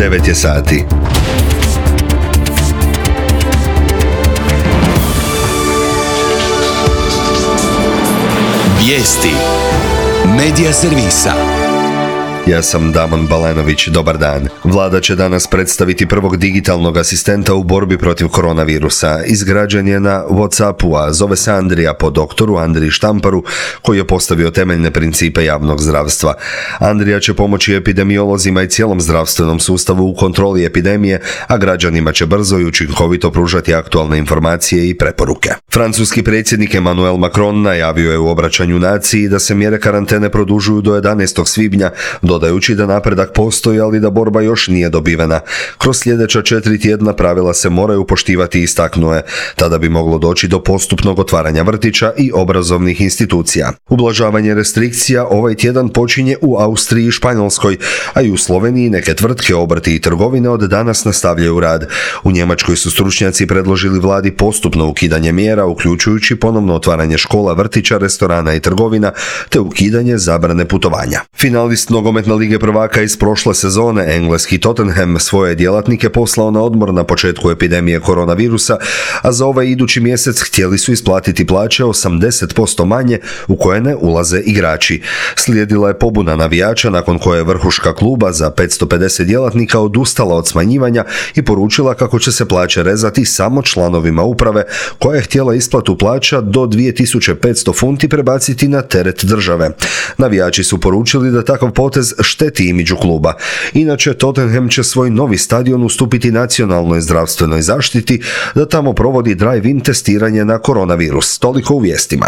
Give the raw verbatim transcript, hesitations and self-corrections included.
devet je sati. Vijesti Medija servisa. Ja sam Damon Balenović, dobar dan. Vlada će danas predstaviti prvog digitalnog asistenta u borbi protiv koronavirusa. Izgrađen je na WhatsAppu, a zove se Andrija po doktoru Andriji Štamparu, koji je postavio temeljne principe javnog zdravstva. Andrija će pomoći epidemiolozima i cijelom zdravstvenom sustavu u kontroli epidemije, a građanima će brzo i učinkovito pružati aktualne informacije i preporuke. Francuski predsjednik Emmanuel Macron najavio je u obraćanju naciji da se mjere karantene produžuju do jedanaestog svibnja, dodajući da napredak postoji, ali da borba još nije dobivena. Kroz sljedeća četiri tjedna pravila se moraju poštivati, istaknuo je. Tada bi moglo doći do postupnog otvaranja vrtića i obrazovnih institucija. Ublažavanje restrikcija ovaj tjedan počinje u Austriji i Španjolskoj, a i u Sloveniji neke tvrtke, obrti i trgovine od danas nastavljaju rad. U Njemačkoj su stručnjaci predložili vladi postupno ukidanje mjera, uključujući ponovno otvaranje škola, vrtića, restorana i trgovina, te ukidanje zabrane putovanja. Finalist nogometne Lige prvaka iz prošle sezone, engleski Tottenham, svoje djelatnike poslao na odmor na početku epidemije koronavirusa, a za ovaj idući mjesec htjeli su isplatiti plaće osamdeset posto manje, u koje ne ulaze igrači. Slijedila je pobuna navijača, nakon koje je vrhuška kluba za petsto pedeset djelatnika odustala od smanjivanja i poručila kako će se plaće rezati samo članovima uprave, koja je htjela isplatu plaća do dvije tisuće petsto funti prebaciti na teret države. Navijači su poručili da takav potez šteti imidžu kluba. Inače, Tottenham će svoj novi stadion ustupiti nacionalnoj zdravstvenoj zaštiti da tamo provodi drive-in testiranje na koronavirus. Toliko u vijestima.